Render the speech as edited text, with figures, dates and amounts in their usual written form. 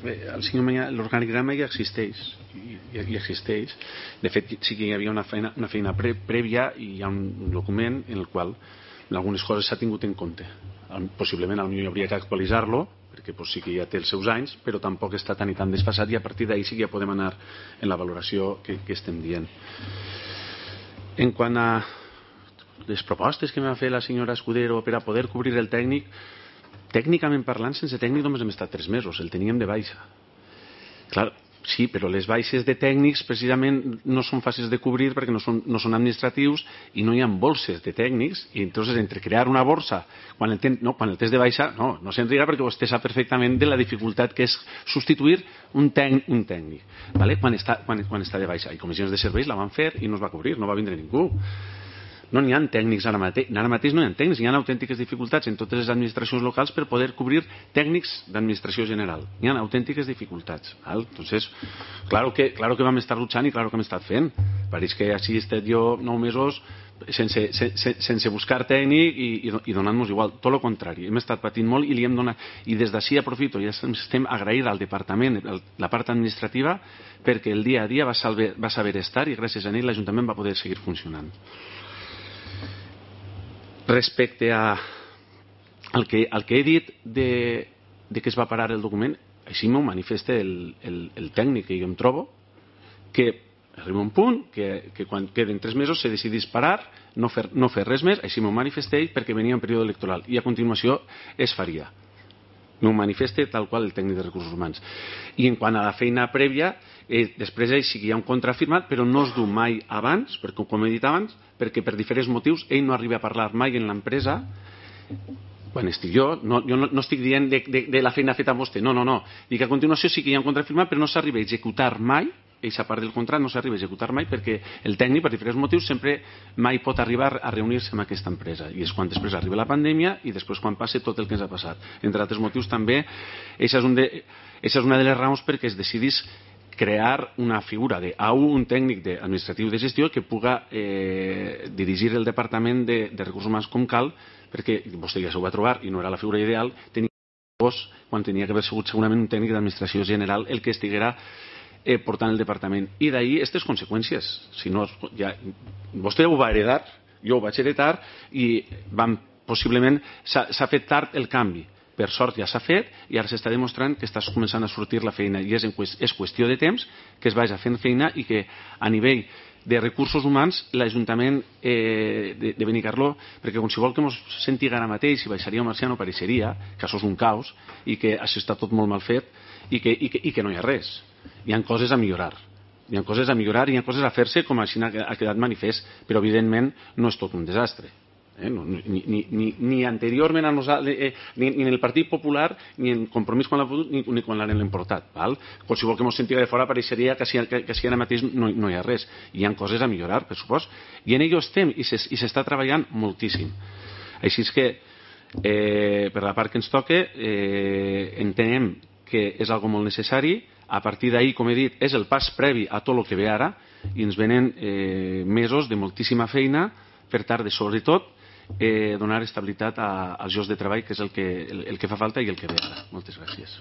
l'organigrama ja existeix. De fet, sí que hi havia una feina prèvia i hi ha un document en el qual algunes coses s'ha tingut en compte. Possiblement potser hauria que actualitzar-lo, perquè sí que ja té els seus anys, però tampoc està tan i tan desfasat, i a partir d'ahir sí que ja podem anar en la valoració que estem dient. En quant a les propostes que m'ha fet la senyora Escudero per a poder cobrir el tècnic, tècnicament parlant, sense tècnic només hem estat 3 mesos, el teníem de baixa. Clar, sí, però les baixes de tècnics precisament no són fàcils de cobrir perquè no són administratius i no hi ha bolses de tècnics, i entonces entre crear una borsa quan el tens de baixa no se'n riga, perquè vostè sap perfectament de la dificultat que és substituir un tècnic, ¿vale? quan està de baixa. I comissions de serveis la van fer i no es va cobrir, no va vindre ningú. No n'hi ha tècnics ara mateix no hi ha tècnics, hi ha autèntiques dificultats en totes les administracions locals per poder cobrir tècnics d'administració general. Hi ha autèntiques dificultats. Entonces, claro que vam estar luchant i claro que hem estat fent. Pareix que així he estat jo 9 mesos sense buscar tècnic i donant-nos igual. Tot el contrari, hem estat patint molt i li hem donat. I des d'ací aprofito, ja estem agrair al departament, la part administrativa, perquè el dia a dia va saber estar i gràcies a ell l'Ajuntament va poder seguir funcionant. Respecte al que he dit de que es va parar el document, així m'ho manifesta el tècnic que jo em trobo, que arriba un punt que quan queden 3 mesos se decidís parar, no fer res més, així m'ho manifesta ell perquè venia en període electoral i a continuació es faria. M'ho manifesta tal qual el tècnic de recursos humans. I en quant a la feina prèvia, després sí que hi ha un contrafirmat, però no es du mai abans, perquè com he dit abans, perquè per diferents motius ell no arriba a parlar mai en l'empresa quan estic jo no estic dient de la feina feta amb vostè, no. Dic que a continuació sí que hi ha un contrafirmat, però no s'arriba a executar mai, aquesta part del contracte no s'arriba a executar mai perquè el tècnic, per diferents motius, sempre mai pot arribar a reunir-se amb aquesta empresa, i és quan després arriba la pandèmia i després quan passa tot el que ens ha passat. Entre altres motius també, aquesta és una de les raons perquè es decidís crear una figura un tècnic administratiu de gestió que puga dirigir el departament de recursos humans com cal, perquè vostè ja s'ho va trobar i no era la figura ideal, quan tenia que haver sigut segurament un tècnic d'administració general el que estiguera portant el departament. I d'ahir aquestes conseqüències. Si no, vostè ho va heredar, jo ho vaig heredar i possiblement s'ha fet tard el canvi. Per sort ja s'ha fet i ara s'està demostrant que està començant a sortir la feina i és qüestió de temps que es vagi fent feina i que a nivell de recursos humans l'Ajuntament de Benicarló, perquè qualsevol que ens sentigui ara mateix, si baixaria o marxaria no pareixeria que això és un caos i que això està tot molt mal fet i que no hi ha res. Hi ha coses a millorar. Hi ha coses a fer-se, com així ha quedat manifest, però evidentment no és tot un desastre. Ni anteriorment a nosaltres, ni en el Partit Popular, ni en Compromís quan l'ha fotut, ni quan l'han importat. Qualsevol que ens sentigui de fora pareixeria que si ara mateix no hi ha res. Hi ha coses a millorar, per supost, i en ello estem i s'està treballant moltíssim. Així és que per la part que ens toca entenem que és algo molt necessari. A partir d'ahir, com he dit, és el pas previ a tot el que ve ara i ens venen mesos de moltíssima feina per tal de, sobretot, donar estabilitat als llocs de treball, que és el que fa falta i el que ve ara. Moltes gràcies.